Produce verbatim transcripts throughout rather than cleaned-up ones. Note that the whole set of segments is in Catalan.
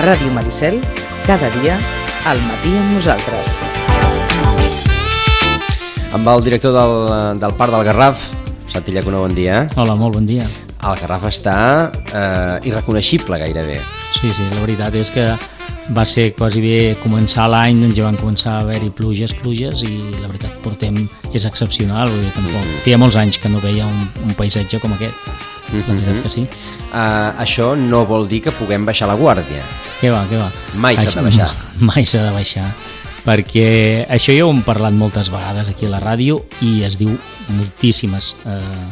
Ràdio Maricel, cada dia, al matí amb nosaltres. Amb el director del, del Parc del Garraf, Santi Llacuna, bon dia. Hola, molt bon dia. El Garraf està eh, irreconeixible gairebé. Sí, sí, la veritat és que va ser quasi bé començar l'any, doncs ja van començar a haver-hi pluges, pluges, i la veritat portem, és excepcional, vull dir, tampoc. Feia molts anys que no veia un, un paisatge com aquest, la veritat que sí. Uh, això no vol dir que puguem baixar la guàrdia. Què va, què va? Mai s'ha de baixar. Mai s'ha de baixar, perquè això ja ho hem parlat moltes vegades aquí a la ràdio i es diu moltíssimes, eh,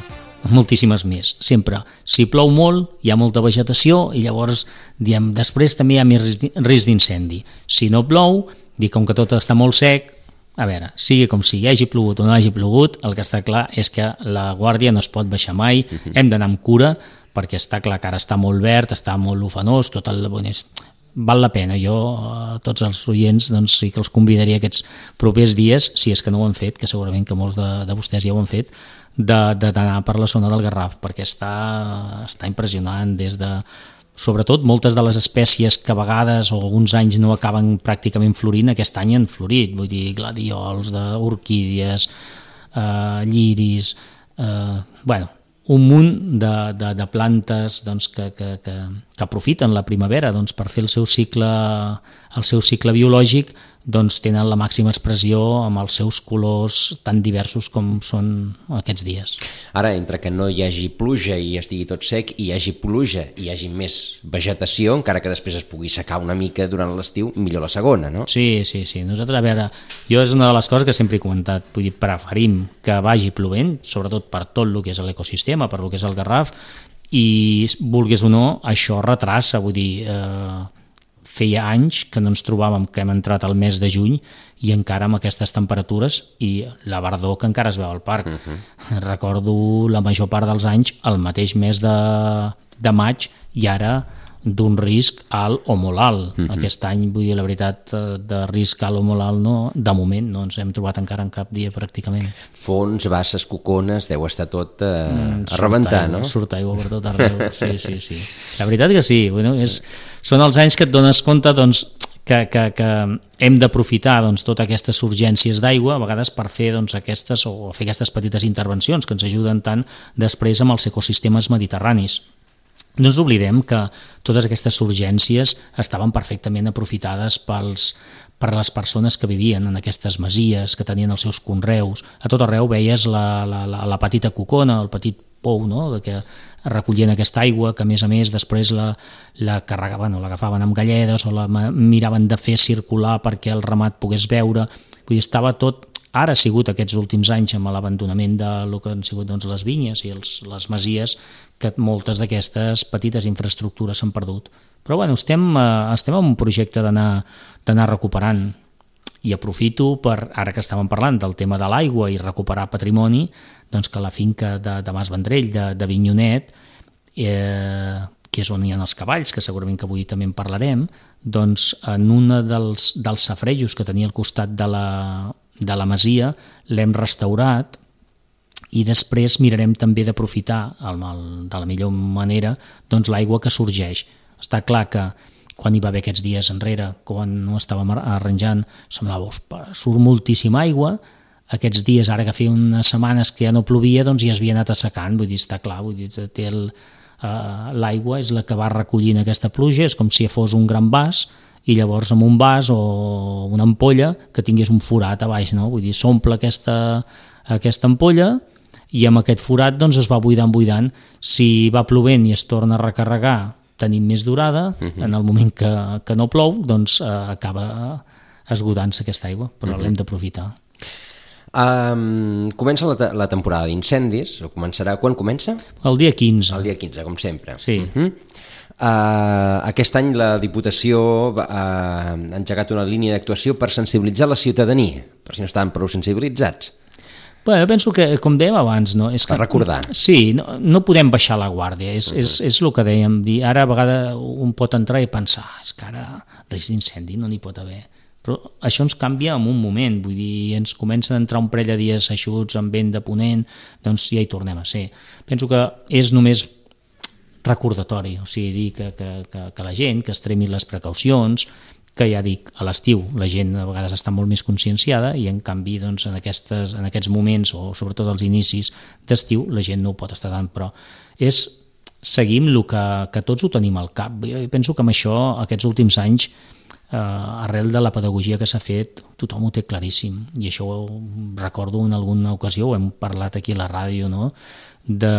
moltíssimes més. Sempre, si plou molt, hi ha molta vegetació i llavors, diem, després també hi ha més risc d'incendi. Si no plou, dic, com que tot està molt sec, a veure, sigui com sigui, hagi plogut o no hagi plogut, el que està clar és que la guàrdia no es pot baixar mai, uh-huh. Hem d'anar amb cura, perquè està clar que ara està molt verd, està molt ufanós, tot el bonès. Val la pena. Jo, a tots els oients, doncs sí que els convidaria aquests propers dies, si és que no ho han fet, que segurament que molts de, de vostès ja ho han fet, d'anar per la zona del Garraf, perquè està, està impressionant, des de, sobretot, moltes de les espècies que a vegades o alguns anys no acaben pràcticament florint, aquest any han florit, vull dir, gladiols, orquídies, eh, lliris, eh, bueno, un munt de, de, de plantes doncs, que, que, que, que aprofiten la primavera doncs, per fer el seu cicle, el seu cicle biològic, doncs tenen la màxima expressió amb els seus colors tan diversos com són aquests dies. Ara, entre que no hi hagi pluja i estigui tot sec, i hi hagi pluja i hi hagi més vegetació, encara que després es pugui secar una mica durant l'estiu, millor la segona, no? Sí, sí, sí. Nosaltres, a veure, jo és una de les coses que sempre he comentat, vull dir, preferim que vagi plovent, sobretot per tot el que és l'ecosistema, per el que és el Garraf, i vulguis o no, això retrassa, vull dir, eh, feia anys que no ens trobàvem, que hem entrat al mes de juny i encara amb aquestes temperatures i la verdor que encara es veu al parc. Uh-huh. Recordo la major part dels anys el mateix mes de, de maig i ara d'un risc alt o molt alt. Uh-huh. Aquest any, vull dir, la veritat, de risc alt o molt alt, no, de moment no ens hem trobat encara en cap dia pràcticament. Fons, basses, cocones, deu estar tot eh, mm, a rebentar, aigua, no? Surt aigua per tot arreu, sí, sí, sí. La veritat que sí, bueno, és, són els anys que et dones compte doncs, que, que, que hem d'aprofitar doncs, totes aquestes urgències d'aigua, a vegades per fer doncs, aquestes, o fer aquestes petites intervencions que ens ajuden tant després amb els ecosistemes mediterranis. No ens oblidem que totes aquestes urgències estaven perfectament aprofitades pels, per les persones que vivien en aquestes masies, que tenien els seus conreus. A tot arreu veies la, la, la, la petita cocona, el petit pou, no?, de que recollien aquesta aigua, que a més a més després la, la carregaven o l'agafaven amb galledes o la miraven de fer circular perquè el ramat pogués beure. Vull dir, estava tot... Ara ha sigut aquests últims anys amb l'abandonament de lo que han sigut doncs, les vinyes i els, les masies que moltes d'aquestes petites infraestructures s'han perdut. Però bueno, estem, estem en un projecte d'anar recuperant i aprofito per, ara que estàvem parlant del tema de l'aigua i recuperar patrimoni, doncs que la finca de, de Mas Vendrell, de, de Vinyonet, eh, que és on hi ha els cavalls, que segurament que avui també en parlarem, doncs en un dels, dels safarejos que tenia al costat de la de la masia, l'hem restaurat i després mirarem també d'aprofitar de la millor manera doncs, l'aigua que sorgeix. Està clar que quan hi va haver aquests dies enrere, quan no estàvem arranjant, semblava, surt moltíssima aigua, aquests dies, ara que feia unes setmanes que ja no plovia, doncs ja es havia anat assecant, vull dir, està clar, vull dir, té el, uh, l'aigua és la que va recollint aquesta pluja, és com si fos un gran vas, i llavors amb un vas o una ampolla que tingués un forat a baix, no? Vull dir, s'omple aquesta, aquesta ampolla i amb aquest forat doncs, es va buidant, buidant. Si va plovent i es torna a recarregar, tenim més durada, uh-huh. En el moment que, que no plou, doncs eh, acaba esgotant-se aquesta aigua, però uh-huh. L'hem d'aprofitar. Um, comença la, la temporada d'incendis, o començarà, quan comença? El dia quinze. El dia quinze, com sempre. Sí. Uh-huh. Uh, aquest any la Diputació ha uh, engegat una línia d'actuació per sensibilitzar la ciutadania, per si no estaven prou sensibilitzats. Bé, jo penso que, com dèiem abans, no? És que, per recordar. Sí, no, no podem baixar la guàrdia, és, uh-huh. és, és el que dèiem, dir, ara a vegades un pot entrar i pensar, és que ara risc d'incendi no n'hi pot haver, però això ens canvia en un moment, vull dir, ens comencen a entrar un parell de dies eixuts amb vent de ponent, doncs ja hi tornem a ser. Penso que és només recordatori, o sigui, dir que, que, que, que la gent que extremi les precaucions, que ja dic, a l'estiu la gent a vegades està molt més conscienciada i en canvi doncs, en, aquestes, en aquests moments o sobretot als inicis d'estiu la gent no ho pot estar tant, però és seguim el que, que tots ho tenim al cap. Jo penso que amb això aquests últims anys eh, arrel de la pedagogia que s'ha fet tothom ho té claríssim i això ho recordo en alguna ocasió, ho hem parlat aquí a la ràdio, no? de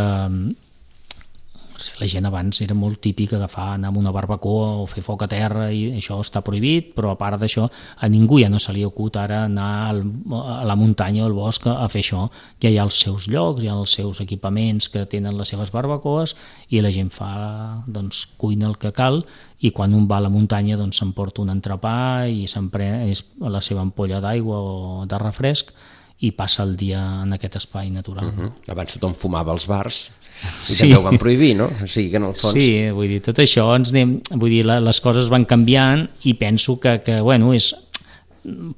la gent abans era molt típic agafar, anar amb una barbacoa o fer foc a terra i això està prohibit, però a part d'això a ningú ja no se li acut ara anar al, a la muntanya o al bosc a fer això, ja hi ha els seus llocs, hi ha els seus equipaments que tenen les seves barbacoes i la gent fa, doncs, cuina el que cal i quan un va a la muntanya doncs s'emporta un entrepà i s'emprès la seva ampolla d'aigua o de refresc i passa el dia en aquest espai natural. Uh-huh. Abans tothom fumava als bars i sí. també ho van prohibir, no? O sigui que en el fons... Sí, vull dir, tot això ens anem, vull dir, les coses van canviant i penso que, que bueno, és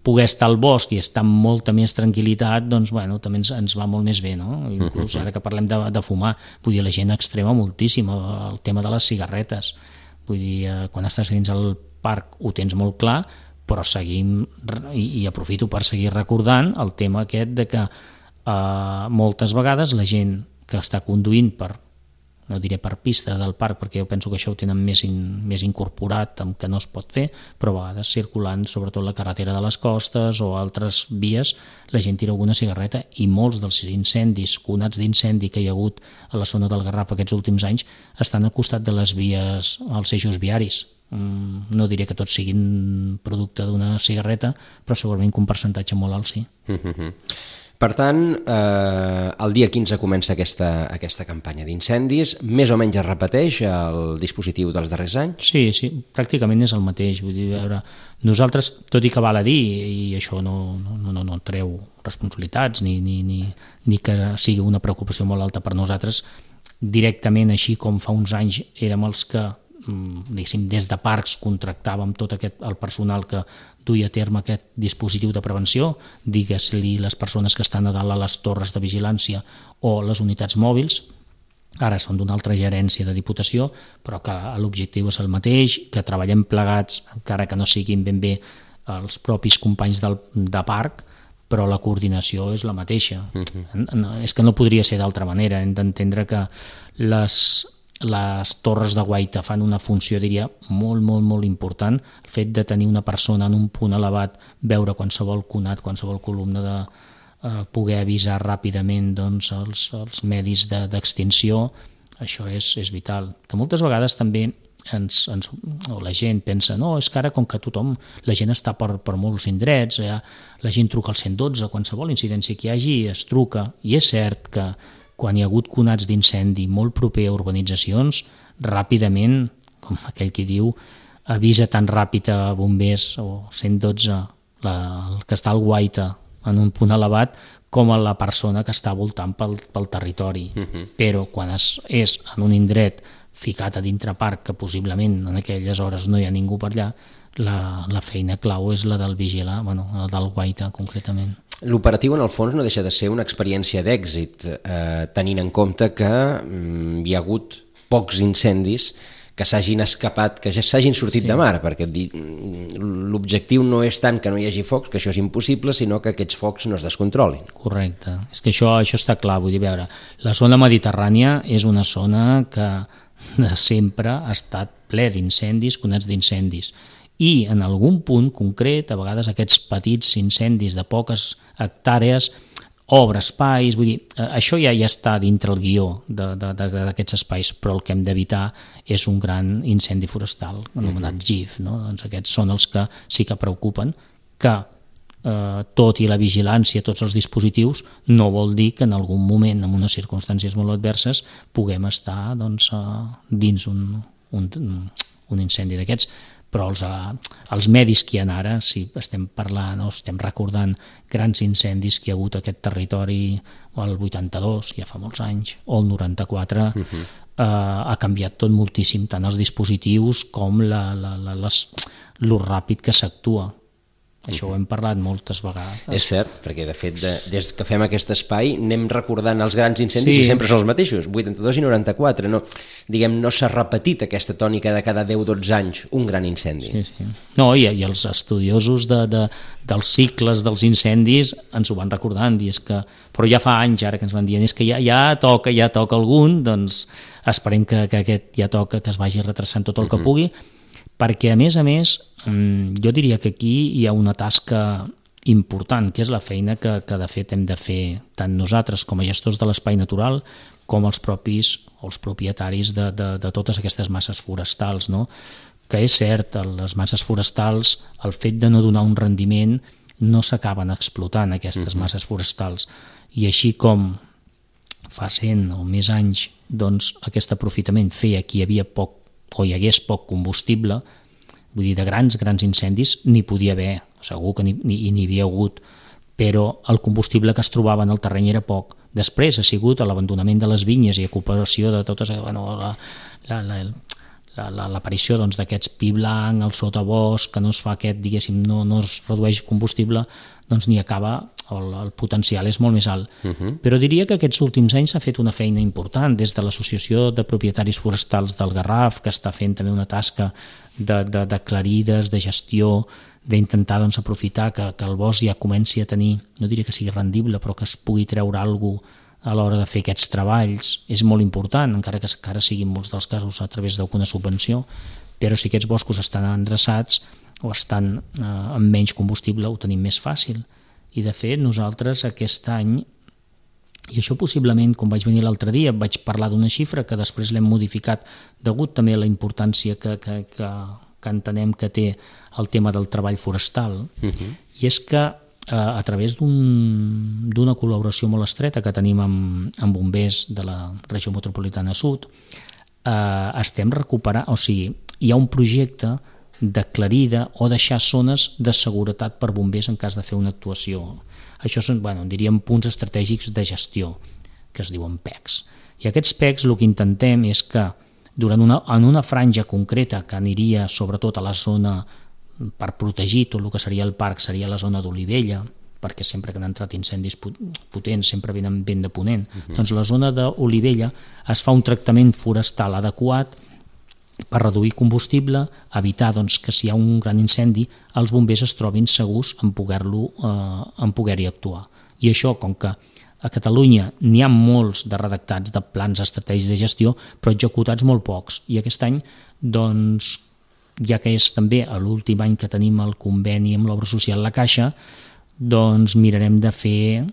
poder estar al bosc i estar amb molta més tranquil·litat, doncs bueno, també ens, ens va molt més bé, no? Inclús ara que parlem de, de fumar, vull dir, la gent extrema moltíssim el tema de les cigarretes, vull dir, quan estàs dins al parc ho tens molt clar, però seguim, i, i aprofito per seguir recordant el tema aquest de que eh, moltes vegades la gent que està conduint per, no diré per pistes del parc, perquè jo penso que això ho tenen més, in, més incorporat amb que no es pot fer, però a vegades circulant, sobretot la carretera de les costes o altres vies, la gent tira alguna cigarreta i molts dels incendis, conats d'incendi que hi ha hagut a la zona del Garraf aquests últims anys, estan al costat de les vies, als eixos viaris. No diré que tots siguin producte d'una cigarreta, però segurament que un percentatge molt alt sí. Uh-huh. Per tant, eh, el dia quinze comença aquesta, aquesta campanya d'incendis, més o menys es repeteix el dispositiu dels darrers anys? Sí, sí, pràcticament és el mateix. Vull dir, veure, nosaltres, tot i que val a dir, i això no, no, no, no treu responsabilitats ni, ni, ni, ni que sigui una preocupació molt alta per nosaltres, directament, així com fa uns anys érem els que diguéssim, des de parcs contractàvem tot aquest, el personal que duia a terme aquest dispositiu de prevenció, digues-li les persones que estan a dalt a les torres de vigilància o les unitats mòbils, ara són d'una altra gerència de Diputació, però que l'objectiu és el mateix, que treballem plegats, encara que no siguin ben bé els propis companys del, de parc, però la coordinació és la mateixa. Uh-huh. És que no podria ser d'altra manera, hem d'entendre que les... les torres de guaita fan una funció, diria, molt, molt, molt important. El fet de tenir una persona en un punt elevat, veure qualsevol conat, qualsevol columna, de eh, poder avisar ràpidament doncs, els, els medis de, d'extinció, això és, és vital. Que moltes vegades també ens, ens, o la gent pensa, no, és que ara com que tothom, la gent està per, per molts indrets, ja, la gent truca al cent i dotze, qualsevol incidència que hi hagi es truca, i és cert que quan hi ha hagut conats d'incendi molt proper a urbanitzacions, ràpidament, com aquell que diu, avisa tan ràpid a bombers o cent i dotze, la, el que està al guaita en un punt elevat, com a la persona que està voltant pel, pel territori. Uh-huh. Però quan es, és en un indret ficat a dintre parc, que possiblement en aquelles hores no hi ha ningú per allà, la, la feina clau és la del vigilar, bueno, la del guaita concretament. L'operatiu, en el fons, no deixa de ser una experiència d'èxit, eh, tenint en compte que mm, hi ha hagut pocs incendis que s'hagin escapat, que ja s'hagin sortit sí. de mar, perquè l'objectiu no és tant que no hi hagi focs, que això és impossible, sinó que aquests focs no es descontrolin. Correcte, és que això, això està clar, vull dir, veure, la zona mediterrània és una zona que sempre ha estat ple d'incendis, conats d'incendis, i en algun punt concret, a vegades aquests petits incendis de poques hectàrees, obre espais, vull dir, això ja ja està dintre el guió d'aquests espais, però el que hem d'evitar és un gran incendi forestal, anomenat G I F, no? Doncs aquests són els que sí que preocupen, que eh, tot i la vigilància, tots els dispositius, no vol dir que en algun moment, en unes circumstàncies molt adverses, puguem estar doncs, eh, dins un, un, un incendi d'aquests. Però els, els medis que hi ha ara, si estem parlant o estem recordant grans incendis que hi ha hagut a aquest territori el vuitanta-dos, ja fa molts anys, o el noranta-quatre, uh-huh. eh, ha canviat tot moltíssim, tant els dispositius com la, la, la, les, lo ràpid que s'actua. Això ho hem parlat moltes vegades. És cert, perquè de fet de, des que fem aquest espai anem recordant els grans incendis Sí. i sempre són els mateixos, vuitanta-dos i noranta-quatre. No, diguem, no s'ha repetit aquesta tònica de cada deu dotze anys un gran incendi. Sí, sí. No, i, i els estudiosos de, de, dels cicles dels incendis ens ho van recordant, i és que, però ja fa anys ara que ens van dient és que ja, ja toca, ja toca algun, doncs esperem que, que aquest ja toca, que es vagi retrasant tot el que pugui, perquè a més a més jo diria que aquí hi ha una tasca important, que és la feina que, que de fet hem de fer tant nosaltres com a gestors de l'espai natural com els propis o els propietaris de, de, de totes aquestes masses forestals, no? Que és cert, les masses forestals, el fet de no donar un rendiment, no s'acaben explotant aquestes masses forestals, i així com fa cent o més anys doncs, aquest aprofitament feia que hi havia poc o hi hagués poc combustible, vull dir, de grans, grans incendis n'hi podia haver, segur que n'hi havia hagut, però el combustible que es trobava en el terreny era poc. Després ha sigut l'abandonament de les vinyes i ocupació de totes, bueno, la, la, la, la, l'aparició doncs, d'aquests pi blanc, el sotabosc, que no es fa aquest, diguéssim, no, no es redueix combustible, doncs n'hi acaba, el, el potencial és molt més alt. Uh-huh. Però diria que aquests últims anys s'ha fet una feina important des de l'Associació de Propietaris Forestals del Garraf, que està fent també una tasca de, de, de clarides, de gestió, d'intentar doncs, aprofitar que, que el bosc ja comenci a tenir, no diria que sigui rendible, però que es pugui treure alguna cosa a l'hora de fer aquests treballs. És molt important, encara que encara siguin molts dels casos a través d'alguna subvenció, però si aquests boscos estan endreçats o estan eh, amb menys combustible, ho tenim més fàcil. I de fet nosaltres aquest any, i això possiblement quan vaig venir l'altre dia vaig parlar d'una xifra que després l'hem modificat degut també a la importància que, que, que, que entenem que té el tema del treball forestal, uh-huh. i és que eh, a través d'un, d'una col·laboració molt estreta que tenim amb, amb bombers de la regió metropolitana sud, eh, estem recuperant, o sigui, hi ha un projecte de clarida o deixar zones de seguretat per bombers en cas de fer una actuació. Això són, bueno, diríem, punts estratègics de gestió, que es diuen P E Cs. I aquests P E Cs el que intentem és que durant una, en una franja concreta que aniria sobretot a la zona per protegir tot el que seria el parc, seria la zona d'Olivella, perquè sempre que han entrat incendis potents sempre venen vent de ponent, uh-huh. doncs la zona d'Olivella es fa un tractament forestal adequat per reduir combustible, evitar doncs, que si hi ha un gran incendi els bombers es trobin segurs en poder-lo eh, en poder-hi actuar. I això, com que a Catalunya n'hi ha molts de redactats de plans estratègics de gestió, però executats molt pocs. I aquest any, doncs, ja que és també l'últim any que tenim el conveni amb l'obra social La Caixa, doncs mirarem de fer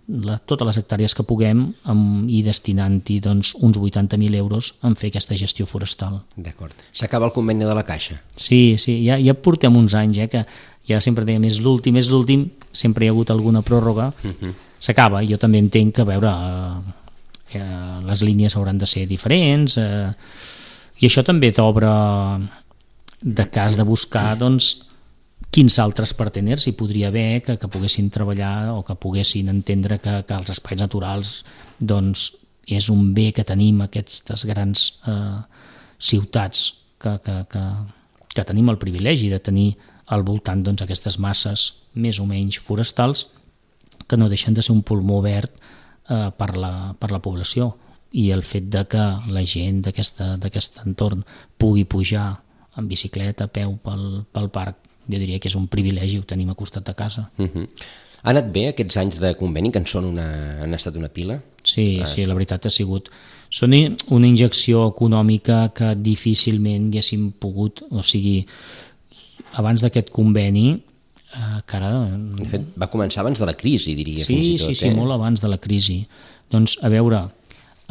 la, totes les hectàrees que puguem amb, i destinant-hi doncs, uns vuitanta mil euros en fer aquesta gestió forestal. D'acord. S'acaba el conveni de La Caixa? Sí, sí, ja, ja portem uns anys, eh, que ja sempre dèiem és l'últim, és l'últim, sempre hi ha hagut alguna pròrroga, uh-huh. s'acaba, jo també entenc que, a veure, eh, eh, les línies hauran de ser diferents, eh, i això també t'obre de cas de buscar, doncs, quins altres parteners hi podria haver que, que poguessin treballar o que poguessin entendre que, que els espais naturals doncs, és un bé que tenim aquestes grans eh, ciutats que, que, que, que tenim el privilegi de tenir al voltant doncs, aquestes masses més o menys forestals que no deixen de ser un pulmó verd eh, per, la, per la població, i el fet de que la gent d'aquest entorn pugui pujar en bicicleta, a peu pel, pel parc, jo diria que és un privilegi, ho tenim a costat de casa. Uh-huh. Ha anat bé aquests anys de conveni, que en són una, han estat una pila? Sí, ah, sí, la veritat ha sigut... Són una injecció econòmica que difícilment haguéssim pogut, o sigui, abans d'aquest conveni, eh, que ara... De fet, va començar abans de la crisi, diria, sí, fins i tot. Sí, sí, eh? molt abans de la crisi. Doncs, a veure,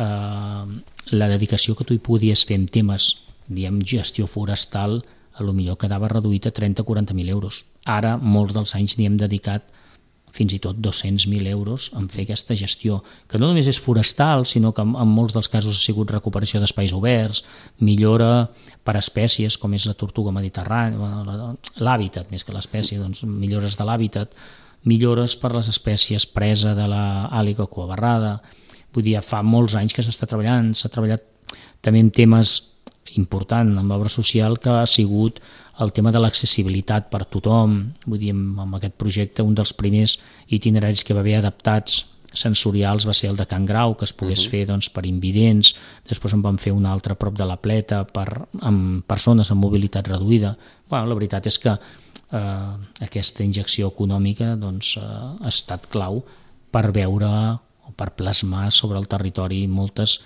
eh, la dedicació que tu hi podies fer en temes, diem, gestió forestal, a lo millor quedava reduït a trenta a quaranta mil euros. Ara, molts dels anys n'hi hem dedicat fins i tot dos-cents mil euros en fer aquesta gestió, que no només és forestal, sinó que en, en molts dels casos ha sigut recuperació d'espais oberts, millora per espècies, com és la tortuga mediterrània, l'hàbitat, més que l'espècie, doncs millores de l'hàbitat, millores per les espècies presa de l'àliga coabarrada. Vull dir, fa molts anys que s'està treballant, s'ha treballat també en temes important amb l'obra social, que ha sigut el tema de l'accessibilitat per tothom. Vull dir, amb aquest projecte un dels primers itineraris que va haver adaptats sensorials va ser el de Can Grau, que es pogués uh-huh. fer doncs, per invidents. Després en vam fer un altre a prop de la Pleta per, amb persones amb mobilitat reduïda. Bueno, la veritat és que eh, aquesta injecció econòmica doncs, eh, ha estat clau per veure o per plasmar sobre el territori moltes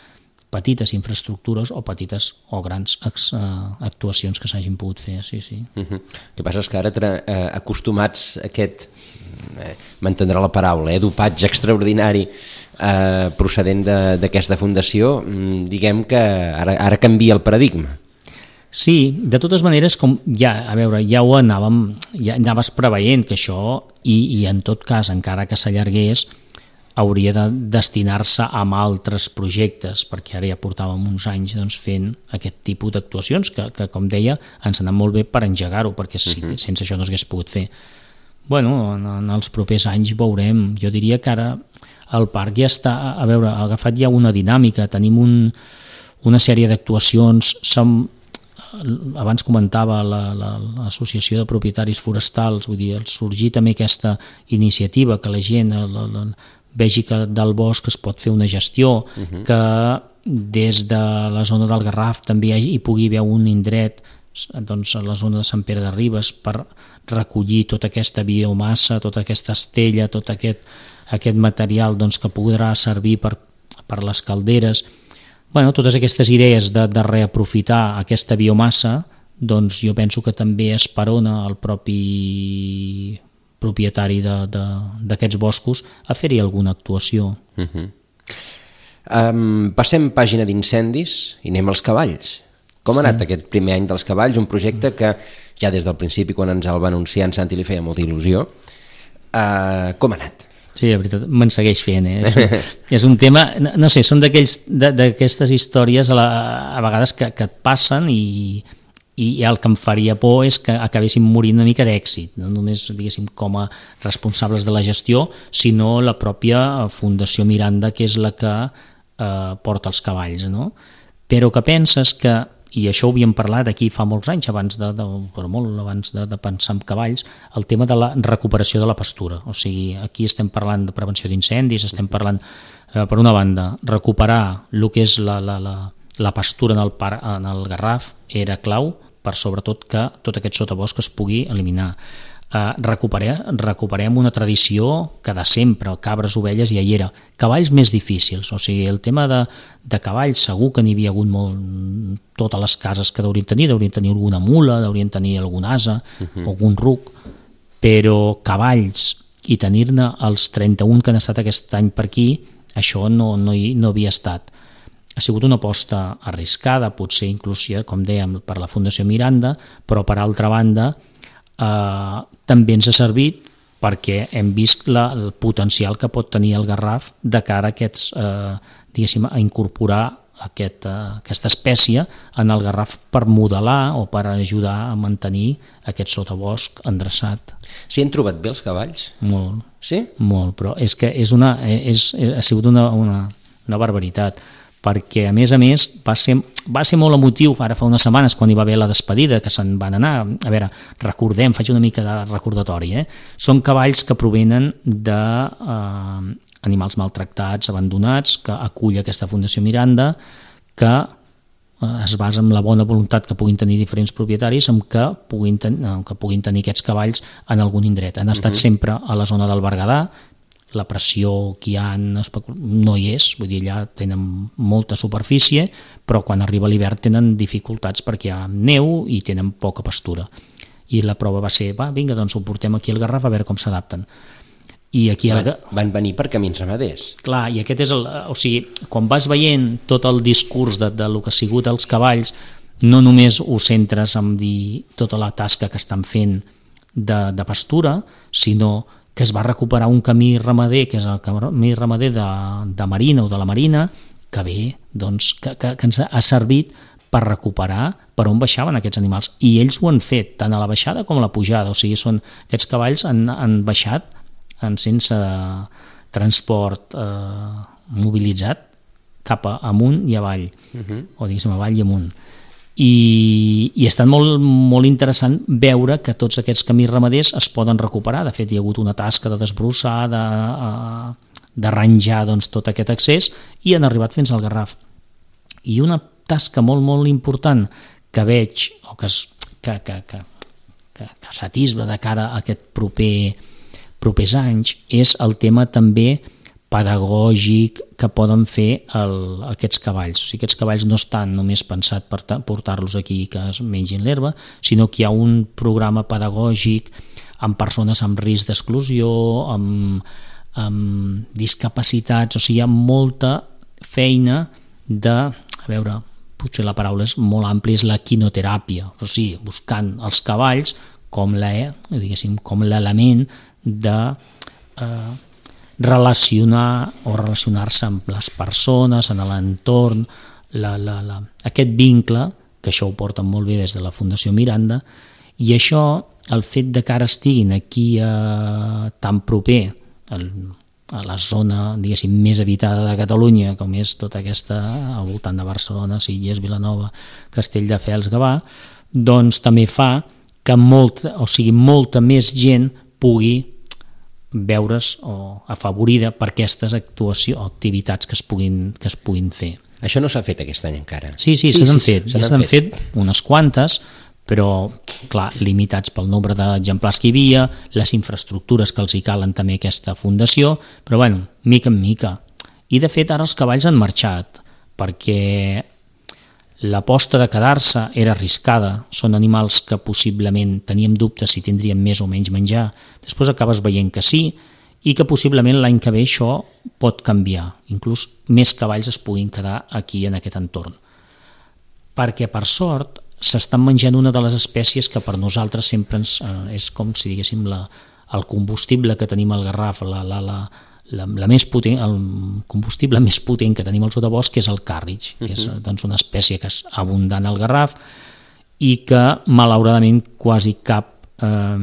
petites infraestructures o petites o grans ex, eh, actuacions que s'hagin pogut fer. Sí, sí. Uh-huh. El que passa és que ara tra- eh, acostumats a aquest, eh, m'entendrà la paraula, eh, dopatge extraordinari eh, procedent de, d'aquesta fundació, diguem que ara, ara canvia el paradigma. Sí, de totes maneres, com ja, a veure, ja ho anàvem, ja anaves preveient que això, i, i en tot cas, encara que s'allargués, hauria de destinar-se a altres projectes, perquè ara ja portàvem uns anys doncs, fent aquest tipus d'actuacions que, que, com deia, ens ha anat molt bé per engegar-ho, perquè si, uh-huh. sense això no s'hagués pogut fer. Bueno, en, en els propers anys veurem. Jo diria que ara el parc ja està, a veure, ha agafat ja una dinàmica, tenim un, una sèrie d'actuacions, som, abans comentava la, la, l'associació de propietaris forestals, vull dir, sorgir també aquesta iniciativa que la gent la, la, vegi que del bosc es pot fer una gestió, uh-huh. que des de la zona del Garraf també hi, hi pugui haver un indret, doncs a la zona de Sant Pere de Ribes, per recollir tota aquesta biomassa, tota aquesta estella, tot aquest, aquest material doncs, que podrà servir per, per les calderes. Bueno, totes aquestes idees de, de reaprofitar aquesta biomassa, doncs jo penso que també esperona el propi propietari de, de, d'aquests boscos a fer-hi alguna actuació. Uh-huh. Um, passem pàgina d'incendis i anem als cavalls. Com ha anat sí. aquest primer any dels cavalls? Un projecte que ja des del principi, quan ens el va anunciar, en Santi li feia molta il·lusió. Uh, com ha anat? Sí, la veritat, me'n segueix fent. Eh? És, un, és un tema, no sé, són d'aquells, d'aquestes històries a, la, a vegades que, que et passen i, i el que em faria por és que acabéssim morint una mica d'èxit, no només diguéssim com a responsables de la gestió, sinó la pròpia Fundació Miranda, que és la que eh, porta els cavalls, no? Però que penses que, i això ho havíem parlat aquí fa molts anys, abans de, de, però molt abans de, de pensar en cavalls, el tema de la recuperació de la pastura. O sigui, aquí estem parlant de prevenció d'incendis, estem parlant, eh, per una banda, recuperar el que és la, la, la, la pastura en el, par, en el Garraf era clau, per sobretot que tot aquest sotabosc es pugui eliminar. Eh, recuperem, recuperem una tradició que de sempre, cabres, ovelles, ja hi era. Cavalls més difícils, o sigui, el tema de, de cavalls segur que n'hi havia hagut molt, totes les cases que deurien tenir, deurien tenir alguna mula, deurien tenir algun ase, uh-huh. algun ruc, però cavalls i tenir-ne els trenta-un que han estat aquest any per aquí, això no, no, hi, no havia estat. Ha sigut una aposta arriscada, potser inclús, com dèiem, per la Fundació Miranda, però per altra banda eh, també ens ha servit perquè hem vist la, el potencial que pot tenir el Garraf de cara a, aquests, eh, diguéssim, a incorporar aquest, eh, aquesta espècie en el Garraf per modelar o per ajudar a mantenir aquest sotabosc endreçat. S'hi han trobat bé els cavalls? Molt. Sí? Molt, però és que és una, és, ha sigut una, una, una barbaritat, perquè a més a més va ser, va ser molt emotiu ara fa unes setmanes quan hi va haver la despedida que se'n van anar. A veure, recordem, faig una mica de recordatori, eh? Són cavalls que provenen d'animals eh, maltractats, abandonats, que acull aquesta Fundació Miranda, que eh, es basa en la bona voluntat que puguin tenir diferents propietaris amb que puguin, ten, que puguin tenir aquests cavalls en algun indret. Han estat uh-huh. sempre a la zona del Berguedà, la pressió que hi ha no hi és, vull dir, allà tenen molta superfície, però quan arriba l'hivern tenen dificultats perquè hi ha neu i tenen poca pastura. I la prova va ser, va, vinga, doncs ho portem aquí al Garraf a veure com s'adapten. I aquí van, van venir per camins ramaders. Clar, i aquest és el... O sigui, quan vas veient tot el discurs de, de lo que ha sigut els cavalls, no només ho centres en dir tota la tasca que estan fent de, de pastura, sinó que es va recuperar un camí ramader, que és el camí ramader de, de Marina o de la Marina, que bé, doncs, que, que, que ens ha servit per recuperar per on baixaven aquests animals. I ells ho han fet, tant a la baixada com a la pujada. O sigui, són, aquests cavalls han, han baixat en sense transport eh, mobilitzat cap a amunt i avall, uh-huh. o diguéssim avall i amunt. i, i ha estat molt, molt interessant veure que tots aquests camins ramaders es poden recuperar. De fet, hi ha hagut una tasca de desbrossar, de, d'arranjar doncs, tot aquest accés, i han arribat fins al Garraf. I una tasca molt, molt important que veig, o que, es, que, que, que, que, que s'atisba de cara a aquest proper, propers anys, és el tema també pedagògic que poden fer el, aquests cavalls. O sigui, aquests cavalls no estan només pensats per portar-los aquí que es mengin l'herba, sinó que hi ha un programa pedagògic amb persones amb risc d'exclusió, amb, amb discapacitats, o sigui, hi ha molta feina de, a veure, potser la paraula és molt àmplia, és la quinoteràpia, o sigui, buscant els cavalls com la, diguéssim, com l'element de eh, relacionar o relacionar-se amb les persones, en l'entorn, la, la, la, aquest vincle, que això ho porten molt bé des de la Fundació Miranda, i això, el fet de que ara estiguin aquí eh, tan proper el, a la zona, diguéssim, més habitada de Catalunya, com és tota aquesta, al voltant de Barcelona, Sitges, Vilanova, Castelldefels, Gavà, doncs també fa que molta, o sigui, molta més gent pugui veure's o afavorida per aquestes actuacions o activitats que es puguin, que es puguin fer. Això no s'ha fet aquest any encara. Sí, sí, sí se n'han sí, fet, ja se n'han fet. fet unes quantes, però, clar, limitats pel nombre d'exemplars que hi havia, les infraestructures que els hi calen també aquesta fundació, però, bueno, mica en mica. I, de fet, ara els cavalls han marxat, perquè l'aposta de quedar-se era arriscada, són animals que possiblement teníem dubtes si tindrien més o menys menjar, després acabes veient que sí, i que possiblement l'any que ve això pot canviar, inclús més cavalls es puguin quedar aquí en aquest entorn. Perquè, per sort, s'estan menjant una de les espècies que per nosaltres sempre ens, eh, és com si diguéssim la, el combustible que tenim al Garraf, la, la, la, la, la més potent, el combustible més potent que tenim al sotabosc, que és el càrrig, que és doncs, una espècie que és abundant al Garraf i que malauradament quasi cap eh,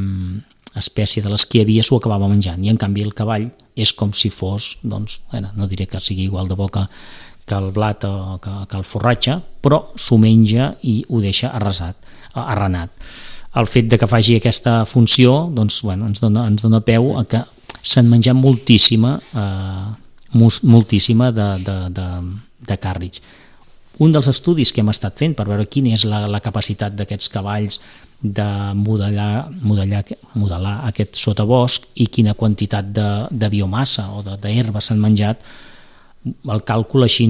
espècie de les que hi havia s'ho acabava menjant, i en canvi el cavall és com si fos, doncs, bueno, no diré que sigui igual de bo que, que el blat o que, que el forratge, però s'ho menja i ho deixa arrasat, arrenat. El fet de que faci aquesta funció doncs, bueno, ens, dona, ens dona peu a que s'han menjat moltíssima, eh, moltíssima de, de, de, de càrrig. Un dels estudis que hem estat fent per veure quina és la, la capacitat d'aquests cavalls de modelar, modelar, modelar aquest sotabosc i quina quantitat de, de biomassa o d'herba s'han menjat, el càlcul així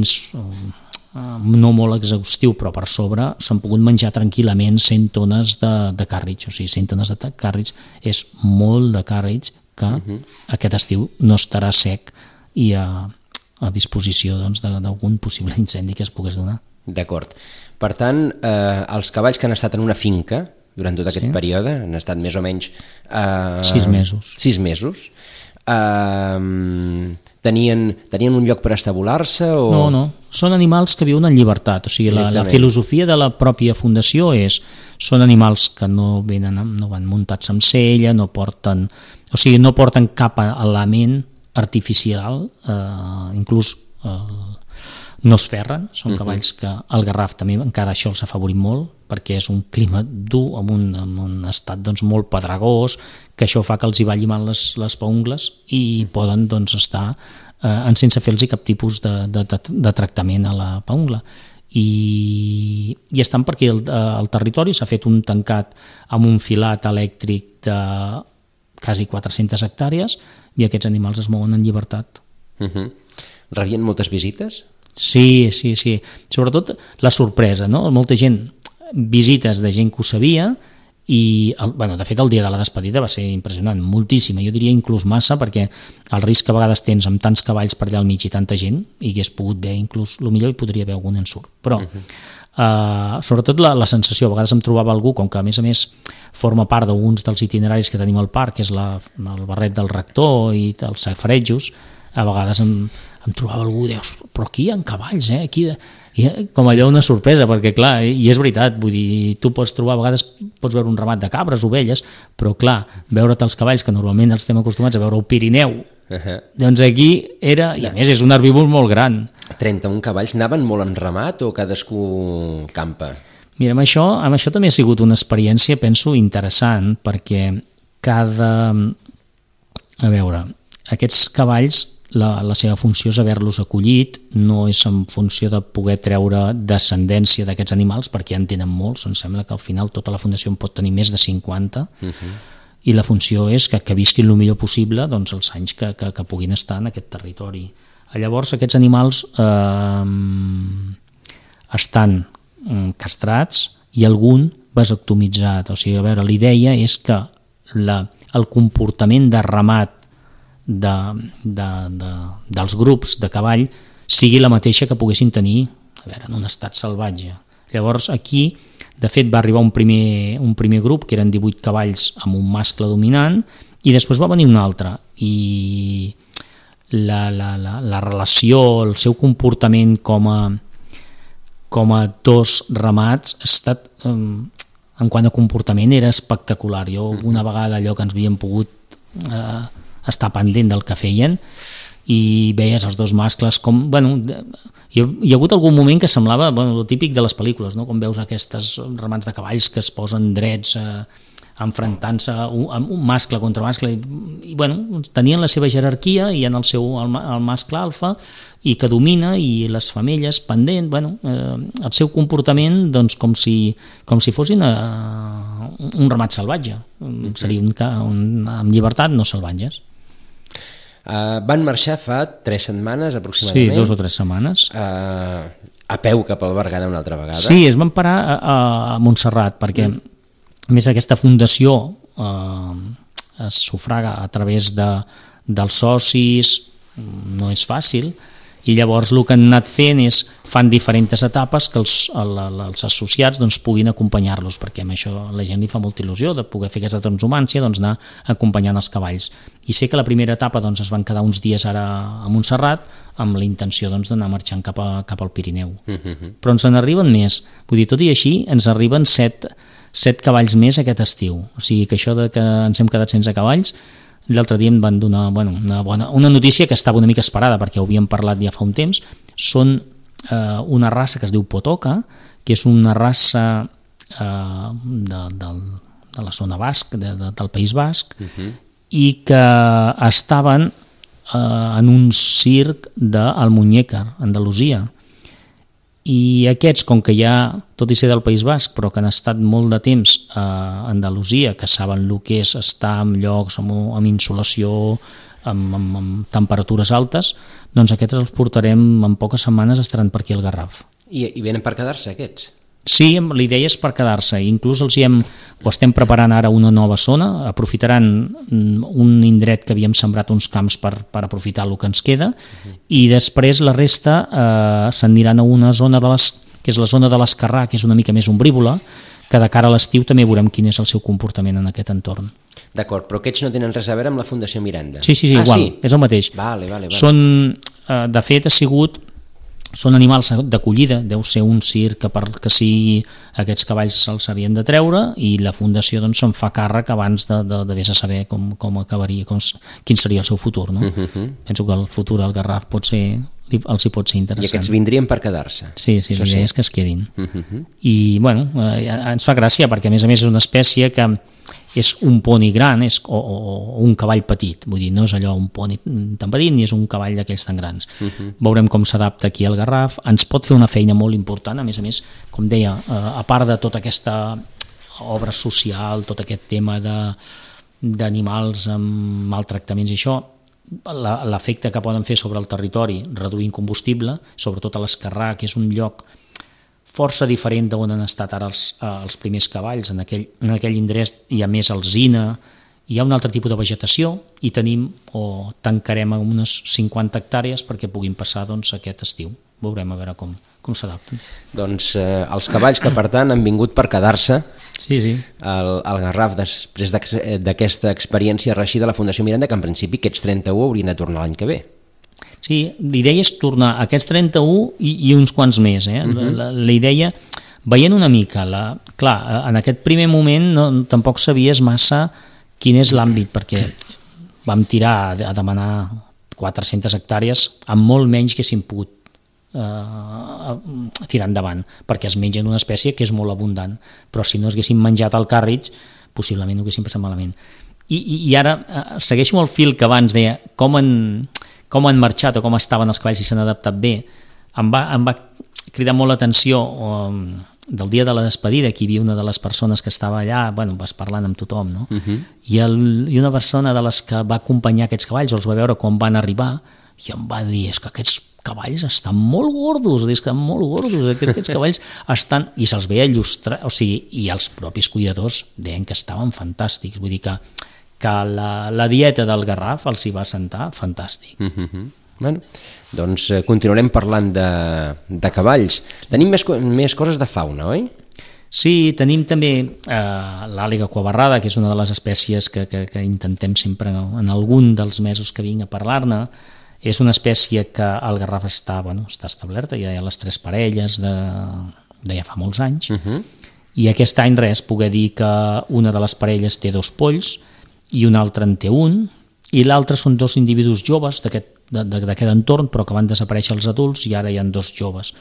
no molt exhaustiu, però per sobre s'han pogut menjar tranquil·lament cent tones de, de càrrig, o sigui, cent tones de càrrig és molt de càrrig que uh-huh. aquest estiu no estarà sec i a, a disposició doncs, d'algun possible incendi que es pogués donar. D'acord. Per tant, eh, els cavalls que han estat en una finca durant tot aquest sí. període, han estat més o menys... Eh, sis mesos. Sis mesos. Eh, tenien, tenien un lloc per estabular-se? O... No, no. Són animals que viuen en llibertat. O sigui, la, la filosofia de la pròpia fundació és són animals que no, venen, no van muntats amb sella, no porten... O sigui, no porten cap element artificial, eh, inclús eh, no es ferren, són uh-huh. cavalls que al Garraf també encara això els ha afavorit molt, perquè és un clima dur, amb un, amb un estat doncs, molt pedregós, que això fa que els hi va llimant les, les paungles i poden doncs, estar eh, en sense fer-los cap tipus de, de, de, de tractament a la paungla. I, i estan perquè el, el territori s'ha fet un tancat amb un filat elèctric de quasi quatre-centes hectàrees i aquests animals es mouen en llibertat. Uh-huh. Rebien moltes visites? Sí, sí, sí. Sobretot la sorpresa, no? Molta gent, visites de gent que ho sabia i, el, bueno, de fet, el dia de la despedida va ser impressionant, moltíssima, jo diria inclús massa, perquè el risc que a vegades tens amb tants cavalls per allà al mig i tanta gent, i hagués pogut veure inclús, el millor hi podria haver algun ensurt, però uh-huh. Uh, sobretot la, la sensació, a vegades em trobava algú, com que a més a més forma part d'uns dels itineraris que tenim al parc, que és la, el barret del rector i els safarejos, a vegades em, em trobava algú i deus, però aquí hi ha cavalls, eh? Aquí, i, com allò una sorpresa, perquè clar, i és veritat, vull dir, tu pots trobar, a vegades pots veure un ramat de cabres, ovelles, però clar, veure't els cavalls, que normalment els estem acostumats a veure al Pirineu, uh-huh. doncs aquí era, i a més és un herbívor molt gran. trenta-un cavalls, anaven molt en ramat o cadascú campa? Mira, amb això, amb això també ha sigut una experiència, penso, interessant, perquè cada... A veure, aquests cavalls, la, la seva funció és haver-los acollit, no és en funció de poder treure descendència d'aquests animals, perquè ja en tenen molts, em sembla que al final tota la fundació en pot tenir més de cinquanta, uh-huh. i la funció és que, que visquin el millor possible doncs, els anys que, que, que puguin estar en aquest territori. Llavors aquests animals eh, estan castrats i algun vasectomitzat, o sigui, a veure, l'idea és que la, el comportament de ramat de, de, de, dels grups de cavall sigui la mateixa que poguessin tenir, a veure, en un estat salvatge. Llavors aquí, de fet, va arribar un primer, un primer grup, que eren divuit cavalls amb un mascle dominant, i després va venir un altre, i la, la, la, la relació, el seu comportament com a com a dos ramats ha estat, eh, en quant a comportament, era espectacular. Jo una vegada allò que ens havíem pogut eh, estar pendent del que feien i veies els dos mascles com... Bueno, hi, ha, hi ha hagut algun moment que semblava, bueno, el típic de les pel·lícules, no? Com veus aquestes ramats de cavalls que es posen drets eh, enfrontant-se un, un mascle contra mascle i, i bueno, tenien la seva jerarquia i en el seu el, el mascle alfa i que domina i les femelles pendent, bueno, eh, el seu comportament doncs com si, com si fossin eh, un ramat salvatge, mm-hmm. seria un, un, amb llibertat, no salvatges. Uh, van marxar fa tres setmanes aproximadament. Sí, dos o tres setmanes. Uh, a peu cap al Berguedà una altra vegada. Sí, es van parar a, a Montserrat perquè mm. a més aquesta fundació eh, es sufraga a través de, dels socis, no és fàcil, i llavors el que han anat fent és fan diferents etapes que els, el, els associats doncs, puguin acompanyar-los, perquè amb això la gent li fa molta il·lusió de poder fer aquesta transhumància, doncs, anar acompanyant els cavalls. I sé que la primera etapa doncs, es van quedar uns dies ara a Montserrat amb la intenció doncs, d'anar marxant cap, a, cap al Pirineu. Uh-huh. Però ens en arriben més, vull dir, tot i així ens arriben set, set cavalls més aquest estiu, o sigui que això de que ens hem quedat sense cavalls, l'altre dia em van donar bueno, una, bona, una notícia que estava una mica esperada perquè ho havíem parlat ja fa un temps. Són eh, una raça que es diu Potoca, que és una raça eh, de, de, de la zona basc, de, de, del País Basc, uh-huh. i que estaven eh, en un circ d'Almuñécar, Andalusia. I aquests, com que ja, tot i ser del País Basc, però que han estat molt de temps a Andalusia, que saben el que és estar en llocs amb, amb insolació, amb, amb, amb temperatures altes, doncs aquests els portarem en poques setmanes, estaran per aquí al Garraf. I, i venen per quedar-se aquests? Sí, l'idea és per quedar-se, inclús els hi hem, ho estem preparant ara una nova zona, aprofitaran un indret que havíem sembrat uns camps per, per aprofitar el que ens queda, uh-huh. i després la resta eh, s'aniran a una zona de les, que és la zona de l'Escarrà, que és una mica més ombrívola, que de cara a l'estiu també veurem quin és el seu comportament en aquest entorn. D'acord, però aquests no tenen res a veure amb la Fundació Miranda? Sí, sí, sí, ah, igual, sí? És el mateix. Vale, vale, vale. Són, eh, de fet, ha sigut... Són animals d'acollida, deu ser un circ que perquè sigui aquests cavalls se'ls havien de treure i la fundació doncs, se'n fa càrrec abans de, de, de vés a saber com, com acabaria, com, quin seria el seu futur. No? Uh-huh. Penso que el futur del Garraf pot ser, els hi pot ser interessant. I aquests vindrien per quedar-se. Sí, sí, l'idea sí. és que es quedin. Uh-huh. I bueno, eh, ens fa gràcia perquè a més a més és una espècie que és un poni gran és, o, o, o un cavall petit, vull dir, no és allò un poni tan petit ni és un cavall d'aquells tan grans. Uh-huh. Veurem com s'adapta aquí al Garraf, ens pot fer una feina molt important, a més a més, com deia, eh, a part de tota aquesta obra social, tot aquest tema de, d'animals amb maltractaments i això, la, l'efecte que poden fer sobre el territori reduint combustible, sobretot a l'Escarrà, que és un lloc força diferent d'on han estat ara els, eh, els primers cavalls. En aquell, en aquell indret hi ha més alzina, hi ha un altre tipus de vegetació i tenim o tancarem unes cinquanta hectàrees perquè puguin passar doncs, aquest estiu. Veurem a veure com, com s'adapten. Doncs eh, els cavalls que per tant han vingut per quedar-se sí, sí. al, al Garraf després d'aquesta experiència reeixida de la Fundació Miranda, que en principi aquests trenta-u haurien de tornar l'any que ve. Sí, l'idea és tornar a aquests trenta-u i, i uns quants més. Eh? Uh-huh. la, la idea, veient una mica, la, clar, en aquest primer moment no, tampoc sabies massa quin és l'àmbit, perquè vam tirar a, a demanar quatre-centes hectàrees amb molt menys que s'hin pogut eh, tirar endavant, perquè es mengen una espècie que és molt abundant, però si no haguessin menjat el càrrig, possiblement ho haguessin passat malament. I, i, i ara eh, segueixo el fil que abans deia, com han, com han marxat o com estaven els cavalls i s'han adaptat bé. Em va, em va cridar molt l'atenció um, del dia de la despedida, que hi havia una de les persones que estava allà, bueno, vas parlant amb tothom, no? Uh-huh. I, el, i una persona de les que va acompanyar aquests cavalls, els va veure quan van arribar, i em va dir, és que aquests cavalls estan molt gordos, és que estan molt gordos, aquests cavalls estan... I se'ls veia il·lustrar, o sigui, i els propis cuidadors deien que estaven fantàstics, vull dir que, que la, la dieta del Garraf els hi va sentar fantàstic. Uh-huh. Bueno, doncs eh, continuarem parlant de, de cavalls. Tenim més, més coses de fauna, oi? Sí, tenim també eh, l'àliga cuabarrada, que és una de les espècies que, que, que intentem sempre en algun dels mesos que vinc a parlar-ne. És una espècie que al Garraf està, bueno, està establerta, ja hi ha les tres parelles de, de ja fa molts anys, uh-huh. I aquest any res, poder dir que una de les parelles té dos polls i una altra en té un, i l'altre són dos individus joves d'aquest d'aquest entorn, però que van desaparèixer els adults i ara hi ha dos joves.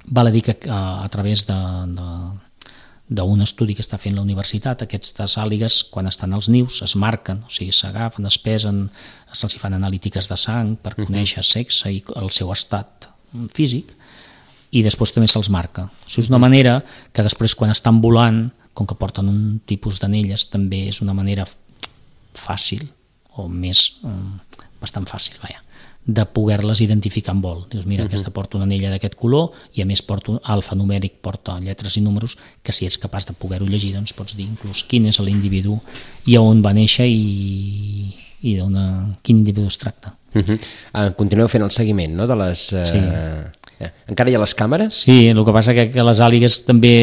Val a dir que a, a través d'un estudi que està fent la universitat, aquestes àligues, quan estan als nius, es marquen, o sigui, s'agafen, es pesen, se'ls fan analítiques de sang per conèixer sexe i el seu estat físic, i després també se'ls marca. O sigui, és una manera que després, quan estan volant, com que porten un tipus d'anelles, també és una manera fàcil, o més... bastant fàcil, vaja, de poder-les identificar en vol. Dius, mira, uh-huh. aquesta porta una anella d'aquest color i a més porta un alfanumèric, porta lletres i números que si ets capaç de poder-ho llegir, doncs pots dir inclús quin és l'individu i on va néixer i, i d'una, quin individu es tracta. Uh-huh. Ah, continueu fent el seguiment, no?, de les... Eh... Sí. Eh, encara hi ha les càmeres? Sí, el que passa que, que les àligues també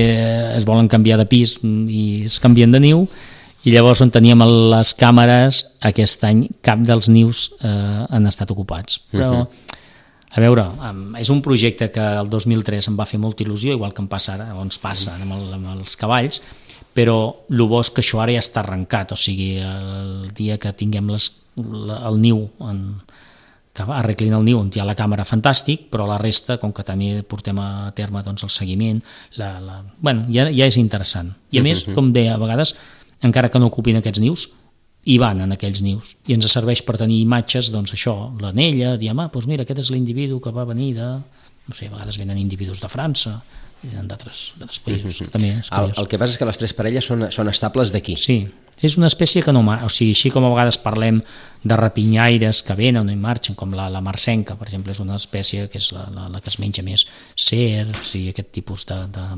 es volen canviar de pis i es canvien de niu, i llavors on teníem les càmeres aquest any cap dels nius eh, han estat ocupats, però a veure, és un projecte que el dos mil tres em va fer molta il·lusió, igual que em passa ara, o ens passa amb, el, amb els cavalls, però el bo és que això ara ja està arrencat, o sigui, el dia que tinguem les, el niu en, que arreglin el niu on hi ha la càmera, fantàstic, però la resta, com que també portem a terme doncs, el seguiment, la, la... bueno, ja, ja és interessant, i a més, com deia, a vegades encara que no ocupin aquests nius, hi van en aquells nius, i ens serveix per tenir imatges, doncs això, l'anella, diem, ah, doncs mira, aquest és l'individu que va venir de, no sé, a vegades venen individus de França, venen d'altres països, que també és el, el que passa és que les tres parelles són, són estables d'aquí. Sí, és una espècie que no, o sigui, així com a vegades parlem de rapinyaires que venen i marxen, com la, la marcenca, per exemple, és una espècie que és la, la, la que es menja més cerds i aquest tipus de, de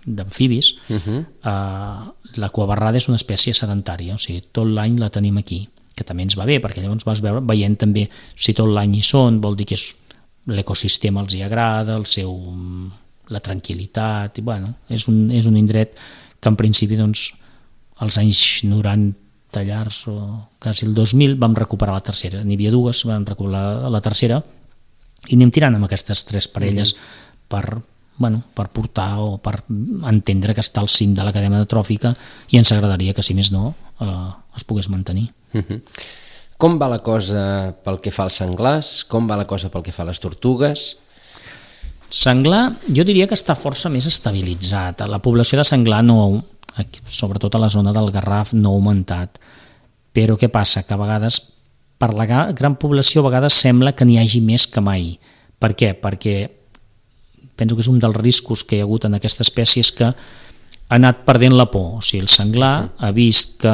d'amfibis, uh-huh. uh, la cuabarrada és una espècie sedentària, o sigui, tot l'any la tenim aquí, que també ens va bé, perquè llavors vas veure, veient també si tot l'any hi són, vol dir que és, l'ecosistema els hi agrada, el seu, la tranquil·litat, i bueno, és un, és un indret que en principi, doncs, als anys noranta llargs, o quasi el dos mil, vam recuperar la tercera, n'hi havia dues, vam recuperar la tercera, i anem tirant amb aquestes tres parelles uh-huh. per bueno, per portar o per entendre que està al cim de la cadena tròfica i ens agradaria que, si més no, eh, es pogués mantenir. Uh-huh. Com va la cosa pel que fa als senglars? Com va la cosa pel que fa a les tortugues? Senglar, jo diria que està força més estabilitzat. La població de senglar, no, sobretot a la zona del Garraf, no ha augmentat. Però què passa? Que a vegades, per la gran població, a vegades sembla que n'hi hagi més que mai. Per què? Perquè penso que és un dels riscos que hi ha hagut en aquesta espècie, és que ha anat perdent la por. O sigui, el senglar ha vist que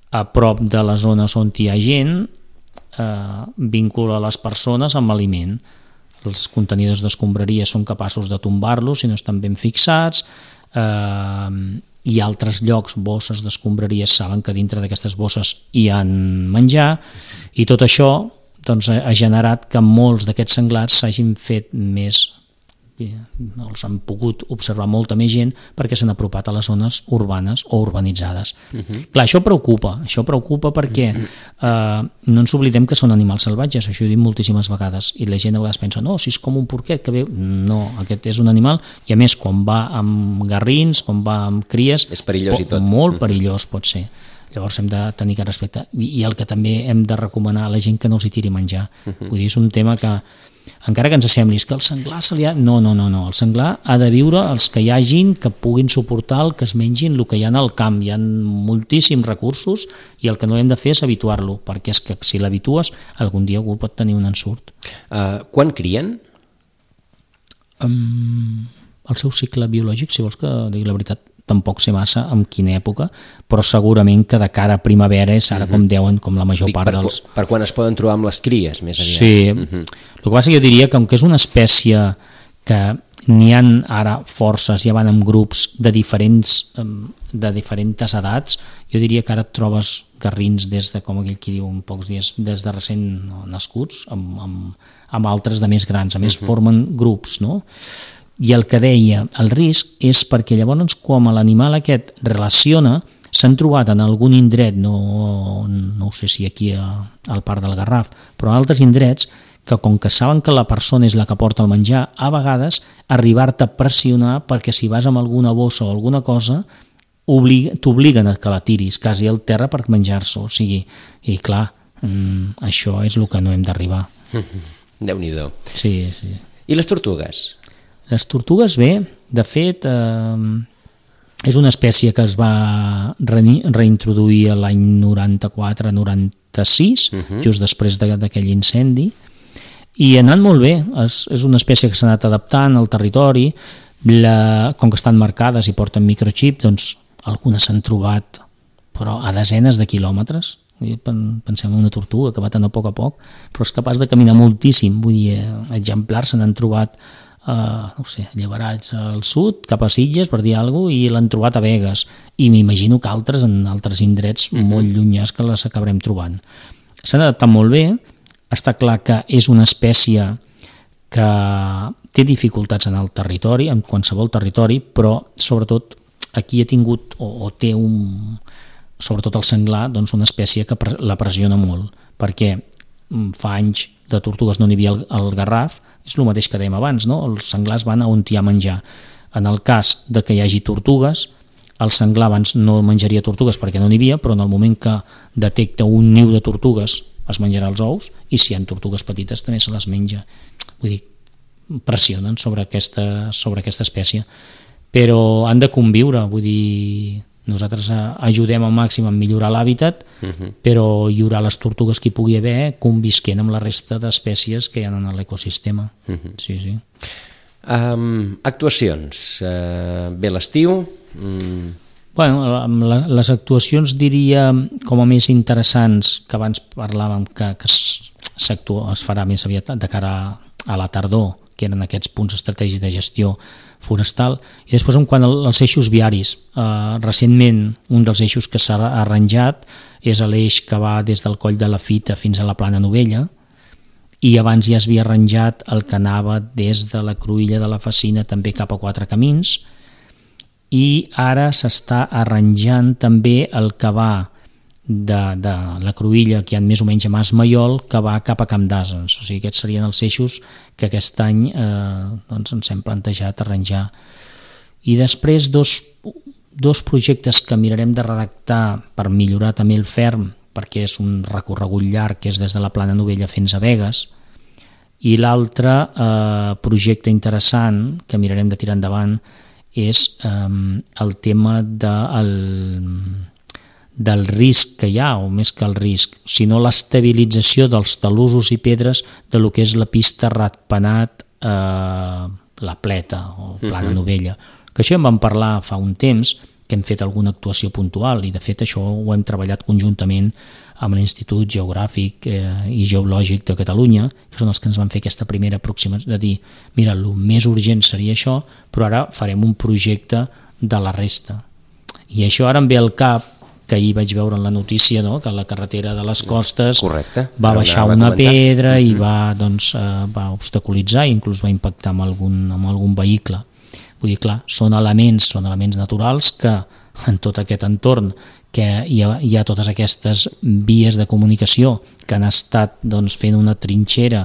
a prop de les zones on hi ha gent eh, vincula les persones amb aliment. Els contenidors d'escombraria són capaços de tombar-los si no estan ben fixats, eh, i altres llocs, bosses d'escombraries, saben que dintre d'aquestes bosses hi ha menjar, i tot això doncs, ha generat que molts d'aquests senglars s'hagin fet més, els han pogut observar molta més gent perquè s'han apropat a les zones urbanes o urbanitzades. Uh-huh. Clar, això preocupa, això preocupa perquè eh, no ens oblidem que són animals salvatges, això ho he dit moltíssimes vegades, i la gent a vegades pensa, no, si és com un porquet que ve, no, aquest és un animal, i a més quan va amb garrins, quan va amb cries, és perillós, pot, i tot. Molt perillós pot ser. Llavors hem de tenir que respectar, i el que també hem de recomanar a la gent que no els hi tiri menjar. Uh-huh. Vull dir, és un tema que encara que ens sembli que el senglar se li ha... No, no, no, no, el senglar ha de viure els que hi hagin, que puguin suportar el que es mengin el que hi ha al camp. Hi ha moltíssims recursos i el que no hem de fer és habituar-lo, perquè és que si l'habitues algun dia algú pot tenir un ensurt. Uh, quan crien? Um, el seu cicle biològic, si vols que digui la veritat, tampoc sé massa en quina època, però segurament que de cara a primavera és ara uh-huh. com deuen, com la major Dic, part per, dels... Per quan es poden trobar amb les cries, més aviat. Sí, uh-huh. El que passa que jo diria que, com que és una espècie que n'hi ha ara forces, ja van en grups de diferents, de diferents edats, jo diria que ara et trobes garrins des de, com aquell qui diu, en pocs dies, des de recent nascuts, amb, amb, amb altres de més grans, a més uh-huh. formen grups, no? I el que deia, el risc és perquè llavors com l'animal aquest relaciona, s'han trobat en algun indret, no, no sé si aquí a, al Parc del Garraf, però en altres indrets, que com que saben que la persona és la que porta el menjar, a vegades arribar-te a pressionar perquè si vas amb alguna bossa o alguna cosa t'obliguen a que la tiris quasi al terra per menjar-se, o sigui, i clar, mm, això és el que no hem d'arribar. Déu-n'hi-do. Sí, sí. I les tortugues? Les tortugues, bé, de fet, eh, és una espècie que es va re reintroduir l'any noranta-quatre noranta-sis, uh-huh. just després d'aquell incendi, i ha anat molt bé. És, és una espècie que s'ha anat adaptant al territori, la, com que estan marcades i porten microxip, doncs algunes s'han trobat, però a desenes de quilòmetres. Pensem en una tortuga que va tan a poc a poc, però és capaç de caminar moltíssim. Vull dir, exemplars se n'han trobat Uh, no sé, llevarats al sud, cap a Sitges, per dir alguna cosa, i l'han trobat a Begues, i m'imagino que altres en altres indrets uh-huh. molt llunyans que les acabarem trobant. S'han adaptat molt bé, està clar que és una espècie que té dificultats en el territori, en qualsevol territori, però sobretot aquí ha tingut, o, o té un, sobretot el senglar, doncs una espècie que la pressiona molt, perquè fa anys de tortugues no n'hi havia al, al Garraf, és el mateix que dèiem abans, no? Els senglars van a on hi ha menjar. En el cas de que hi hagi tortugues, el senglar abans no menjaria tortugues perquè no n'hi havia, però en el moment que detecta un niu de tortugues es menjarà els ous, i si hi ha tortugues petites també se les menja. Vull dir, pressionen sobre aquesta, sobre aquesta espècie. Però han de conviure, vull dir, nosaltres ajudem al màxim a millorar l'hàbitat, uh-huh. però hi haurà les tortugues que hi pugui haver convisquent amb la resta d'espècies que hi ha en l'ecosistema. Uh-huh. Sí, sí. Um, actuacions. Uh, bé l'estiu... Mm. Bueno, les actuacions diria com a més interessants, que abans parlàvem que, que es, es farà més aviat de cara a la tardor, que eren aquests punts estratègics de gestió forestal, i després en quant als eixos viaris, eh, recentment un dels eixos que s'ha arranjat és l'eix que va des del Coll de la Fita fins a la Plana Novella, i abans ja es havia arranjat el que anava des de la Cruïlla de la Facina també cap a Quatre Camins, i ara s'està arranjant també el que va de, de la Cruïlla, que hi ha més o menys a Mas Maiol, que va cap a Camp d'Asens. O sigui, aquests serien els eixos que aquest any eh, doncs ens hem plantejat arranjar. I després dos, dos projectes que mirarem de redactar per millorar també el ferm, perquè és un recorregut llarg, que és des de la Plana Novella fins a Begues, i l'altre eh, projecte interessant que mirarem de tirar endavant és eh, el tema de el, del risc que hi ha, o més que el risc, sinó l'estabilització dels talussos i pedres de lo que és la pista ratpenat eh, la Pleta o Plana uh-huh. Novella, que això en vam parlar fa un temps, que hem fet alguna actuació puntual, i de fet això ho hem treballat conjuntament amb l'Institut Geogràfic eh, i Geològic de Catalunya, que són els que ens van fer aquesta primera aproximació de dir, mira, el més urgent seria això, però ara farem un projecte de la resta. I això ara em ve al cap, que ahir vaig veure en la notícia, no?, que la carretera de les costes Correcte. va baixar una pedra i va, doncs, eh, va obstaculitzar i inclús va impactar amb algun, amb algun vehicle. Vull dir, clar, són elements, són elements naturals que en tot aquest entorn que hi ha, hi ha totes aquestes vies de comunicació que han estat doncs, fent una trinxera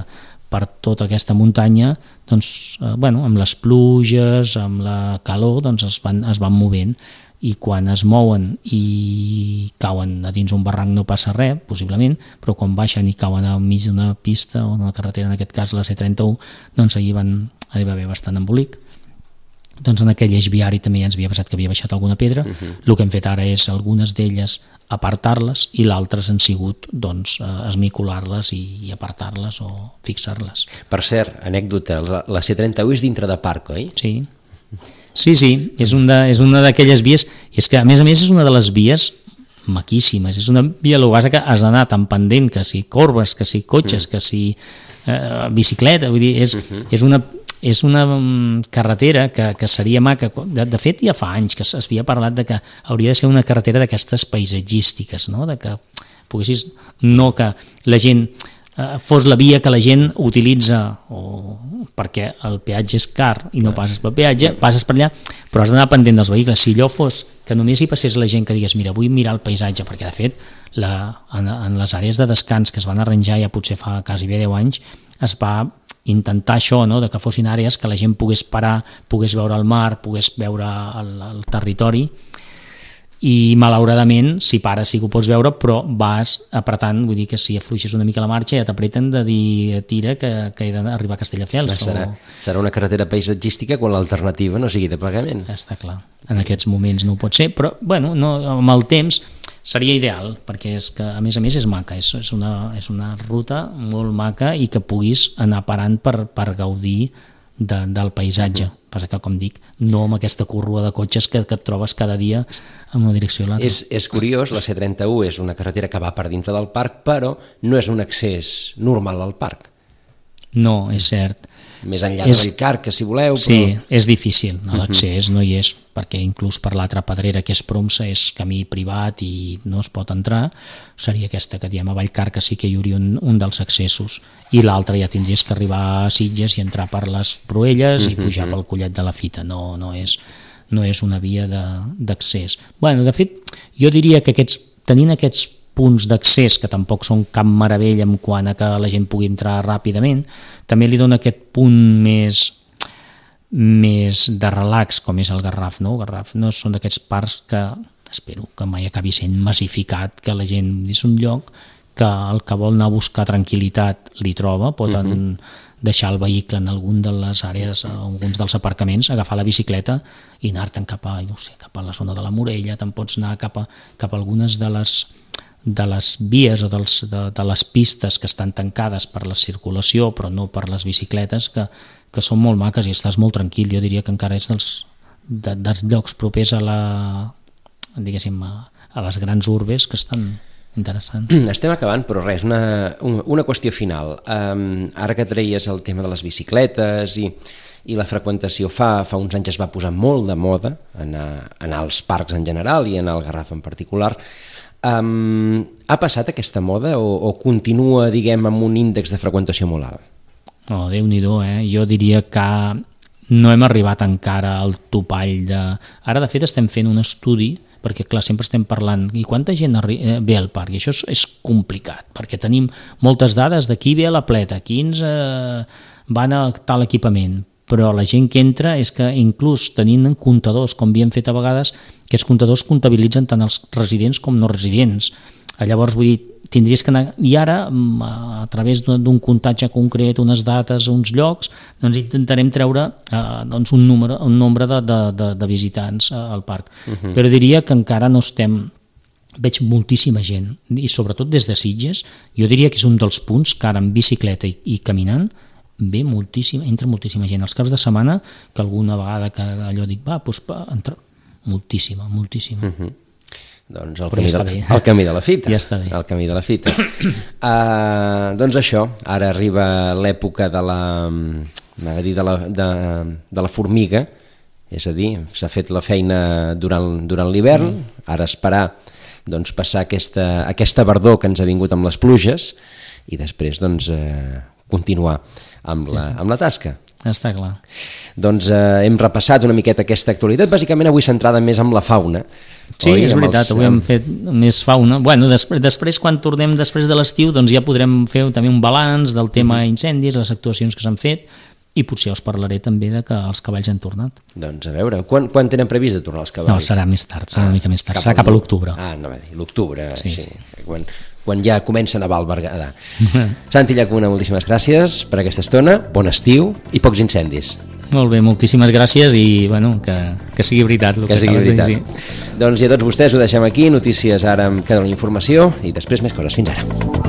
per tota aquesta muntanya, doncs, eh, bueno, amb les pluges, amb la calor, doncs es van, es van movent. i quan es mouen i cauen a dins un barranc no passa res, possiblement, però quan baixen i cauen al mig d'una pista o d'una carretera, en aquest cas la C trenta-u, doncs allí van, allà va haver bastant embolic. Doncs en aquell eix viari també ja ens havia passat que havia baixat alguna pedra. Uh-huh. El que hem fet ara és algunes d'elles apartar-les i l'altres han sigut doncs, esmicolar-les i, i apartar-les o fixar-les. Per cert, anècdota, la, la C trenta-u és dintre de parc, oi? Sí, sí, sí, és, un de, és una d'aquelles vies, i és que a més a més és una de les vies maquíssimes, és una via lo base que has d'anar tan pendent, que si corbes, que si cotxes, mm. que si eh, bicicleta, vull dir, és, uh-huh. és una... és una carretera que, que seria maca. De, de fet, ja fa anys que s'havia parlat de que hauria de ser una carretera d'aquestes paisatgístiques, no? De que poguessis, no que la gent eh, fos la via que la gent utilitza o perquè el peatge és car i no passes pel peatge, passes per allà, però has d'anar pendent dels vehicles. Si allò fos que només hi passés la gent que digués mira, vull mirar el paisatge, perquè de fet la, en, en les àrees de descans que es van arranjar ja potser fa quasi bé deu anys es va intentar això, no? De que fossin àrees que la gent pogués parar, pogués veure el mar, pogués veure el, el territori, i malauradament si pares sí que ho pots veure, però vas apretant, vull dir que si afluixes una mica la marxa ja t'apreten de dir tira que, que he d'arribar a Castelldefels. Serà, o... serà una carretera paisatgística quan l'alternativa no sigui de pagament. Està clar, en aquests moments no ho pot ser, però bueno, no, amb el temps seria ideal, perquè és que a més a més és maca, és, és, una, és una ruta molt maca i que puguis anar parant per, per gaudir de, del paisatge. Uh-huh. Passa que, com dic, no amb aquesta corrua de cotxes que, que et trobes cada dia en una direcció a l'altra. És, és curiós, la C trenta-u és una carretera que va per dintre del parc, però no és un accés normal al parc. No, és cert. Més enllà és, del Carc, que si voleu... Però... Sí, és difícil, l'accés no hi és, perquè inclús per l'altra pedrera que és Promsa és camí privat i no es pot entrar, seria aquesta que diem a Vallcar, que sí que hi hauria un, un dels accessos, i l'altre ja tindries que arribar a Sitges i entrar per les Proelles i pujar pel Collet de la Fita, no, no, és, no és una via d'accés. Bueno, de fet, jo diria que aquests, tenint aquests punts d'accés que tampoc són cap meravella en quant a que la gent pugui entrar ràpidament, també li dona aquest punt més més de relax com és el Garraf, no? El Garraf no són d'aquests parcs que espero que mai acabi sent massificat, que la gent és un lloc que el que vol anar a buscar tranquil·litat li troba, pot uh-huh. deixar el vehicle en algun de les àrees, alguns dels aparcaments, agafar la bicicleta i anar-te'n cap a, no sé, cap a la zona de la Morella, te'n pots anar cap a, cap a algunes de les de les vies o dels, de, de les pistes que estan tancades per la circulació però no per les bicicletes, que, que són molt maques i estàs molt tranquil. Jo diria que encara és dels, de, dels llocs propers a la diguéssim a, a les grans urbes que estan interessants. Estem acabant, però res, una, una qüestió final. Um, ara que treies el tema de les bicicletes i, i la freqüentació, fa, fa uns anys es va posar molt de moda anar, anar als parcs en general i anar al Garraf en particular. Um, ha passat aquesta moda o, o continua, diguem, amb un índex de freqüentació molt alt? Oh, Déu-n'hi-do, eh? Jo diria que no hem arribat encara al topall de... Ara, de fet, estem fent un estudi, perquè, clar, sempre estem parlant i quanta gent arri... ve al parc, i això és, és complicat, perquè tenim moltes dades de qui ve a la pleta, quins eh, van a tal equipament, però la gent que entra és que inclús tenint comptadors, com havíem fet a vegades, aquests comptadors comptabilitzen tant els residents com no residents. Llavors, vull dir, tindries que anar... I ara, a través d'un comptatge concret, unes dates, uns llocs, doncs intentarem treure eh, doncs un, número, un nombre de, de, de, de visitants al parc. Uh-huh. Però diria que encara no estem... Veig moltíssima gent, i sobretot des de Sitges, jo diria que és un dels punts que ara en bicicleta i, i caminant ve moltíssima, entra moltíssima gent. Els caps de setmana, que alguna vegada que allò dic, va, doncs va, entra moltíssima, moltíssima. Uh-huh. Doncs el camí, ja de, el camí de la fita. Ja està bé. El camí de la fita. uh, doncs això, ara arriba l'època de la, de la, de, de la formiga, és a dir, s'ha fet la feina durant, durant l'hivern, mm. ara esperar doncs, passar aquesta, aquesta verdor que ens ha vingut amb les pluges i després doncs, eh, continuar amb la, amb la tasca. Està clar. Doncs eh, hem repassat una miqueta aquesta actualitat, bàsicament avui centrada més en la fauna. Sí, oi? és veritat, els... avui hem fet més fauna. Bueno, després, després quan tornem després de l'estiu, doncs ja podrem fer també un balanç del tema incendis, les actuacions que s'han fet, i potser us parlaré també de que els cavalls han tornat. Doncs a veure, quan, quan tenen previst de tornar els cavalls? No, serà més tard, serà ah, una mica més tard, serà cap a l'octubre. Ah, no va dir, l'octubre, sí, sí. sí. Quan, quan ja comencen a balbergar. Santi Llacuna, moltíssimes gràcies per aquesta estona, bon estiu i pocs incendis. Molt bé, moltíssimes gràcies i bueno, que, que sigui veritat. Que, que sigui veritat. Sí. Doncs i a tots vostès ho deixem aquí, notícies ara amb cada informació i després més coses. Fins ara.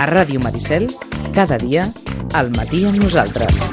A Ràdio Maricel, cada dia, al matí amb nosaltres.